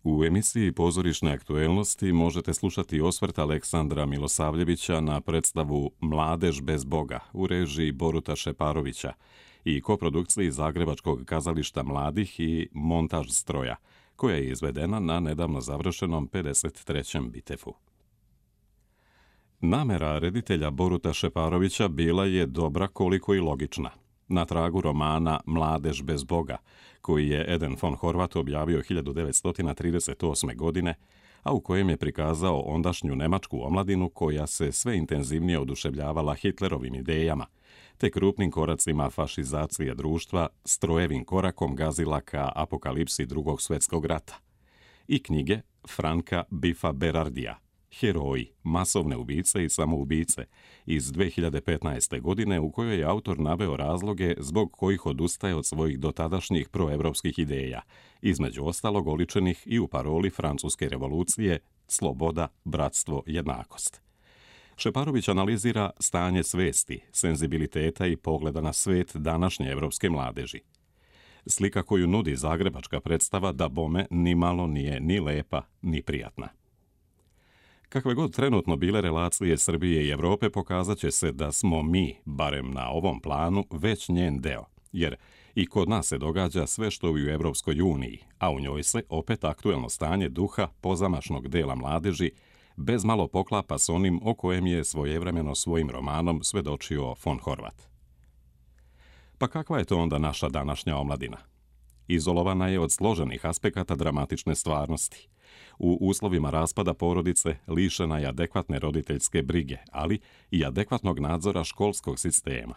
U emisiji Pozorišne aktuelnosti možete slušati osvrt Aleksandra Milosavljevića na predstavu Mladež bez Boga u režiji Boruta Šeparovića i koprodukciji Zagrebačkog kazališta mladih i Montaž stroja, koja je izvedena na nedavno završenom 53. Bitefu. Namera reditelja Boruta Šeparovića bila je dobra koliko i logična. Na tragu romana Mladež bez Boga, koji je Eden von Horvat objavio 1938. godine, a u kojem je prikazao ondašnju nemačku omladinu koja se sve intenzivnije oduševljavala Hitlerovim idejama, te krupnim koracima fašizacije društva, strojevim korakom gazila ka apokalipsi Drugog svjetskog rata. I knjige Franka Biffa Berardija, Heroji, masovne ubice i samoubice iz 2015. godine, u kojoj je autor naveo razloge zbog kojih odustaje od svojih dotadašnjih proevropskih ideja, između ostalog oličenih i u paroli Francuske revolucije sloboda, bratstvo, jednakost. Šeparović analizira stanje svesti, senzibiliteta i pogleda na svet današnje evropske mladeži. Slika koju nudi zagrebačka predstava da bome nimalo nije ni lepa ni prijatna. Kakve god trenutno bile relacije Srbije i Evrope, pokazat će se da smo mi, barem na ovom planu, već njen deo, jer i kod nas se događa sve što u Evropskoj uniji, a u njoj se opet aktuelno stanje duha pozamašnog dela mladeži bez malo poklapa s onim o kojem je svojevremeno svojim romanom svedočio von Horvat. Pa kakva je to onda naša današnja omladina? Izolovana je od složenih aspekata dramatične stvarnosti. U uslovima raspada porodice lišena je adekvatne roditeljske brige, ali i adekvatnog nadzora školskog sistema.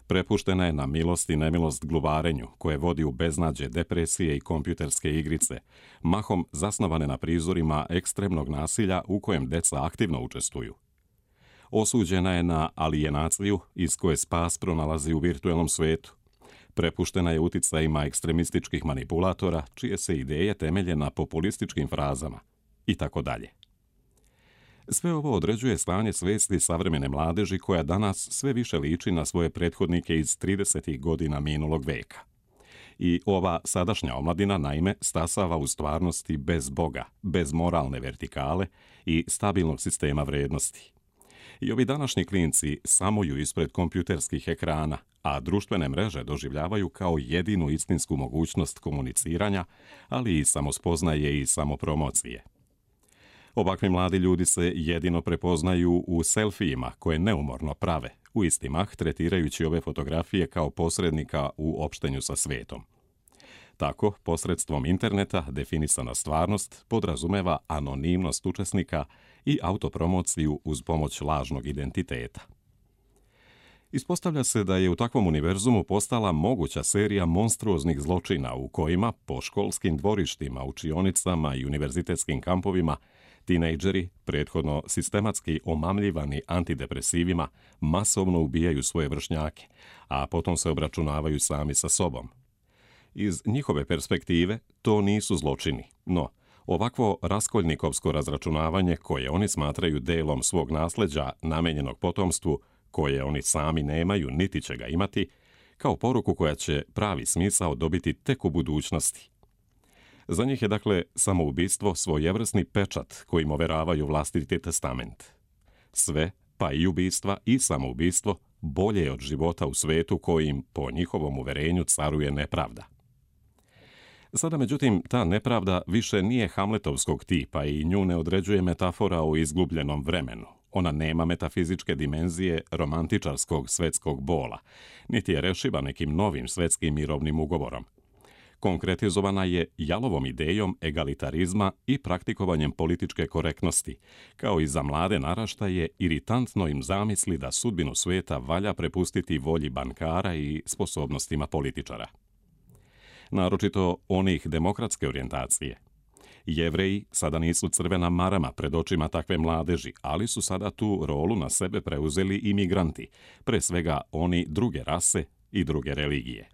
Prepuštena je na milost i nemilost gluvarenju, koje vodi u beznađe, depresije i kompjuterske igrice, mahom zasnovane na prizorima ekstremnog nasilja u kojem deca aktivno učestvuju. Osuđena je na alijenaciju iz koje spas pronalazi u virtuelnom svetu. Prepuštena je uticajima ekstremističkih manipulatora, čije se ideje temelje na populističkim frazama, i tako dalje. Sve ovo određuje stanje svesti savremene mladeži koja danas sve više liči na svoje prethodnike iz 30. godina minulog veka. I ova sadašnja omladina naime stasava u stvarnosti bez Boga, bez moralne vertikale i stabilnog sistema vrednosti. I ovi današnji klinci samuju ispred kompjuterskih ekrana, a društvene mreže doživljavaju kao jedinu istinsku mogućnost komuniciranja, ali i samospoznaje i samopromocije. Ovakvi mladi ljudi se jedino prepoznaju u selfijima koje neumorno prave, u isti mah tretirajući ove fotografije kao posrednika u opštenju sa svetom. Tako, posredstvom interneta definisana stvarnost podrazumeva anonimnost učesnika i autopromociju uz pomoć lažnog identiteta. Ispostavlja se da je u takvom univerzumu postala moguća serija monstruoznih zločina u kojima, po školskim dvorištima, učionicama i univerzitetskim kampovima, tinejdžeri, prethodno sistematski omamljivani antidepresivima, masovno ubijaju svoje vršnjake, a potom se obračunavaju sami sa sobom. Iz njihove perspektive to nisu zločini, no ovakvo raskoljnikovsko razračunavanje koje oni smatraju delom svog nasleđa namenjenog potomstvu, koje oni sami nemaju niti će ga imati, kao poruku koja će pravi smisao dobiti tek u budućnosti. Za njih je dakle samoubistvo svojevrsni pečat kojim overavaju vlastiti testament. Sve, pa i ubistva i samoubistvo, bolje je od života u svetu kojim, po njihovom uverenju, caruje nepravda. Sada, međutim, ta nepravda više nije hamletovskog tipa i nju ne određuje metafora o izgubljenom vremenu. Ona nema metafizičke dimenzije romantičarskog svetskog bola, niti je rešiva nekim novim svetskim mirovnim ugovorom. Konkretizovana je jalovom idejom egalitarizma i praktikovanjem političke korektnosti, kao i za mlade naraštaje iritantno im zamisli da sudbinu sveta valja prepustiti volji bankara i sposobnostima političara. Naročito onih demokratske orijentacije. Jevreji sada nisu crvena marama pred očima takve mladeži, ali su sada tu rolu na sebe preuzeli i migranti, pre svega oni druge rase i druge religije.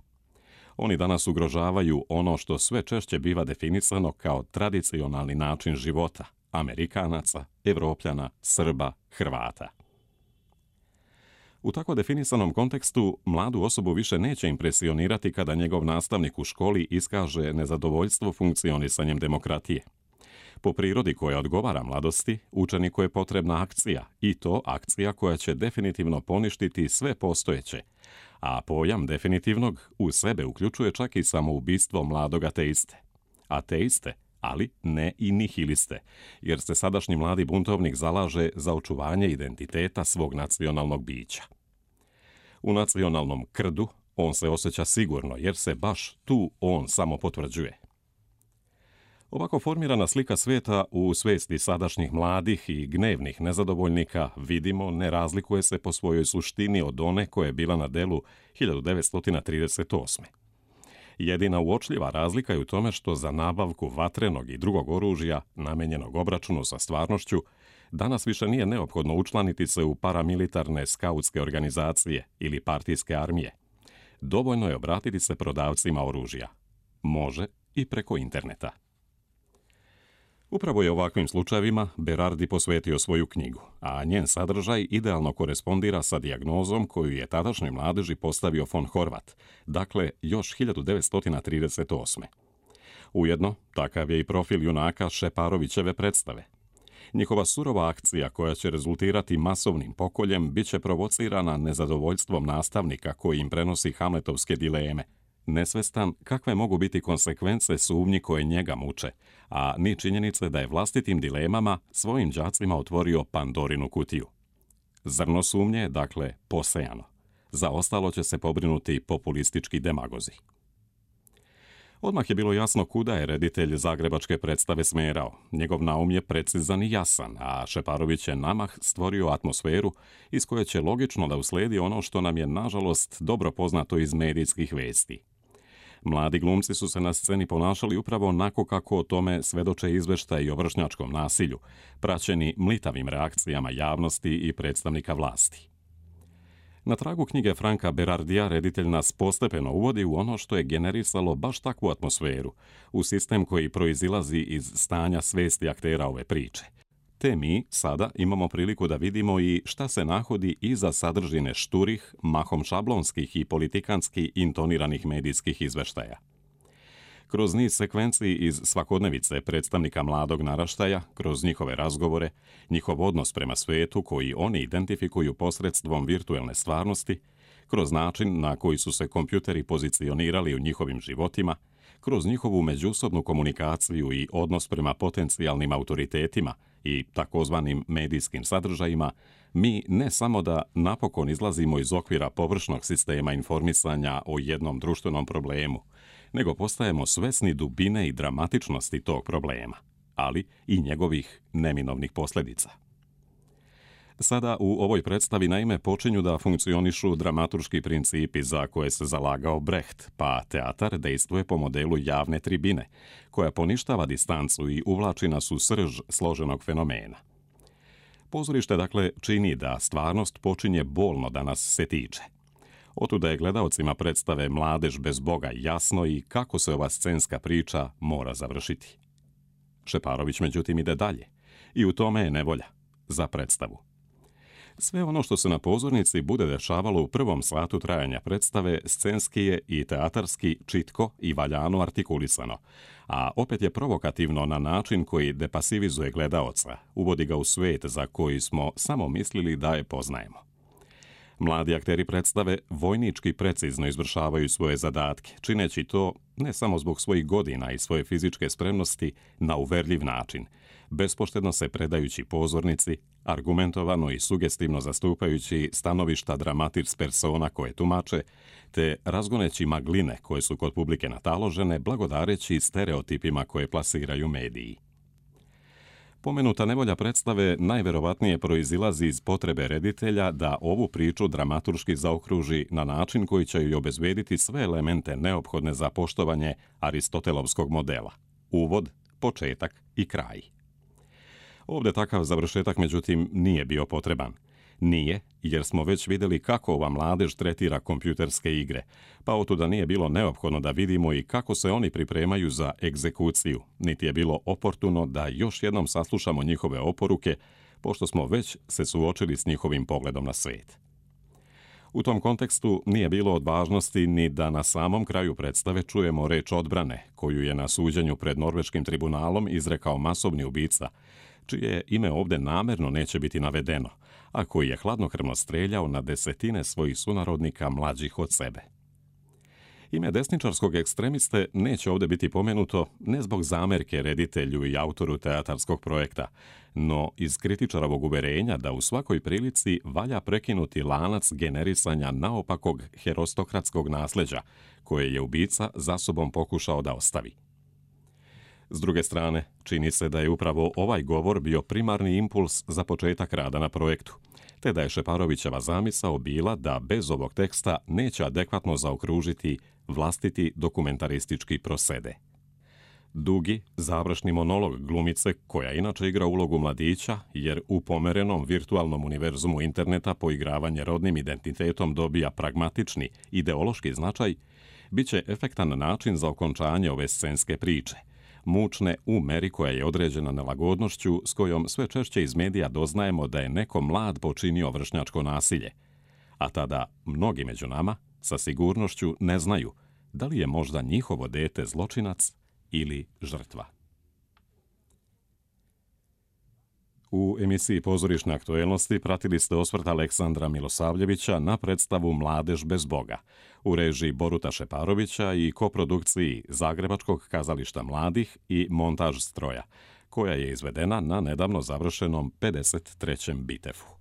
Oni danas ugrožavaju ono što sve češće biva definisano kao tradicionalni način života Amerikanaca, Evropljana, Srba, Hrvata. U tako definisanom kontekstu, mladu osobu više neće impresionirati kada njegov nastavnik u školi iskaže nezadovoljstvo funkcionisanjem demokratije. Po prirodi koja odgovara mladosti, učeniku je potrebna akcija, i to akcija koja će definitivno poništiti sve postojeće, a pojam definitivnog u sebe uključuje čak i samoubistvo mladog ateiste. Ateiste, ali ne i nihiliste, jer se sadašnji mladi buntovnik zalaže za očuvanje identiteta svog nacionalnog bića. U nacionalnom krdu on se osjeća sigurno, jer se baš tu on samo potvrđuje. Ovako formirana slika svijeta u svijesti sadašnjih mladih i gnevnih nezadovoljnika, vidimo, ne razlikuje se po svojoj suštini od one koja je bila na delu 1938. Jedina uočljiva razlika je u tome što za nabavku vatrenog i drugog oružja, namenjenog obračunu sa stvarnošću, danas više nije neophodno učlaniti se u paramilitarne skautske organizacije ili partijske armije. Dovoljno je obratiti se prodavcima oružja. Može i preko interneta. Upravo je ovakvim slučajevima Berardi posvetio svoju knjigu, a njen sadržaj idealno korespondira sa dijagnozom koju je tadašnjoj mladeži postavio von Horvat, dakle još 1938. Ujedno, takav je i profil junaka Šeparovićeve predstave. Njihova surova akcija koja će rezultirati masovnim pokoljem bit će provocirana nezadovoljstvom nastavnika koji im prenosi hamletovske dileme, nesvestan kakve mogu biti konsekvence sumnji koje njega muče, a ni činjenice da je vlastitim dilemama svojim đacima otvorio Pandorinu kutiju. Zrno sumnje je, dakle, posejano. Za ostalo će se pobrinuti populistički demagozi. Odmah je bilo jasno kuda je reditelj zagrebačke predstave smerao. Njegov naum je precizan i jasan, a Šeparović je namah stvorio atmosferu iz koje će logično da usledi ono što nam je, nažalost, dobro poznato iz medijskih vesti. Mladi glumci su se na sceni ponašali upravo onako kako o tome svedoče izveštaji o vršnjačkom nasilju, praćeni mlitavim reakcijama javnosti i predstavnika vlasti. Na tragu knjige Franka Berardija reditelj nas postepeno uvodi u ono što je generisalo baš takvu atmosferu, u sistem koji proizilazi iz stanja svesti aktera ove priče. Te mi sada imamo priliku da vidimo i šta se nahodi iza sadržine šturih, mahom šablonskih i politikanski intoniranih medijskih izveštaja. Kroz niz sekvenciji iz svakodnevice predstavnika mladog naraštaja, kroz njihove razgovore, njihov odnos prema svetu koji oni identifikuju posredstvom virtuelne stvarnosti, kroz način na koji su se kompjuteri pozicionirali u njihovim životima, kroz njihovu međusobnu komunikaciju i odnos prema potencijalnim autoritetima i takozvanim medijskim sadržajima, mi ne samo da napokon izlazimo iz okvira površnog sistema informisanja o jednom društvenom problemu, nego postajemo svesni dubine i dramatičnosti tog problema, ali i njegovih neminovnih posljedica. Sada u ovoj predstavi naime počinju da funkcionišu dramaturški principi za koje se zalagao Brecht, pa teatar dejstvuje po modelu javne tribine, koja poništava distancu i uvlači nas u srž složenog fenomena. Pozorište dakle čini da stvarnost počinje bolno da nas se tiče. Otuda je gledaocima predstave Mladež bez Boga jasno i kako se ova scenska priča mora završiti. Šeparović međutim ide dalje i u tome je nevolja za predstavu. Sve ono što se na pozornici bude dešavalo u prvom satu trajanja predstave scenski je i teatarski čitko i valjano artikulisano, a opet je provokativno na način koji depasivizuje gledaoca, uvodi ga u svijet za koji smo samo mislili da je poznajemo. Mladi akteri predstave vojnički precizno izvršavaju svoje zadatke, čineći to ne samo zbog svojih godina i svoje fizičke spremnosti na uverljiv način, bespoštedno se predajući pozornici, argumentovano i sugestivno zastupajući stanovišta dramatis persona koje tumače, te razgoneći magline koje su kod publike nataložene, blagodareći stereotipima koje plasiraju mediji. Pomenuta nevolja predstave najverovatnije proizilazi iz potrebe reditelja da ovu priču dramaturški zaokruži na način koji će joj obezbediti sve elemente neophodne za poštovanje Aristotelovskog modela. Uvod, početak i kraj. Ovdje takav završetak, međutim, nije bio potreban. Nije, jer smo već vidjeli kako ova mladež tretira kompjuterske igre, pa otuda nije bilo neophodno da vidimo i kako se oni pripremaju za egzekuciju, niti je bilo oportuno da još jednom saslušamo njihove oporuke, pošto smo već se suočili s njihovim pogledom na svijet. U tom kontekstu nije bilo od važnosti ni da na samom kraju predstave čujemo reč odbrane, koju je na suđenju pred norveškim tribunalom izrekao masovni ubica, čije ime ovdje namerno neće biti navedeno, a koji je hladnokrvno streljao na desetine svojih sunarodnika mlađih od sebe. Ime desničarskog ekstremiste neće ovdje biti pomenuto ne zbog zamerke reditelju i autoru teatarskog projekta, no iz kritičarovog uverenja da u svakoj prilici valja prekinuti lanac generisanja naopakog herostokratskog nasljeđa, koje je ubica za sobom pokušao da ostavi. S druge strane, čini se da je upravo ovaj govor bio primarni impuls za početak rada na projektu, te da je Šeparovićeva zamisao bila da bez ovog teksta neće adekvatno zaokružiti vlastiti dokumentaristički prosede. Dugi, završni monolog glumice, koja inače igra ulogu mladića, jer u pomerenom virtualnom univerzumu interneta poigravanje rodnim identitetom dobija pragmatični, ideološki značaj, bit će efektan način za okončanje ove scenske priče, mučne u meri koja je određena nelagodnošću s kojom sve češće iz medija doznajemo da je neko mlad počinio vršnjačko nasilje, a tada mnogi među nama sa sigurnošću ne znaju da li je možda njihovo dete zločinac ili žrtva. U emisiji Pozorišne aktuelnosti pratili ste osvrt Aleksandra Milosavljevića na predstavu Mladež bez Boga u režiji Boruta Šeparovića i koprodukciji Zagrebačkog kazališta mladih i Montaž stroja, koja je izvedena na nedavno završenom 53. Bitefu.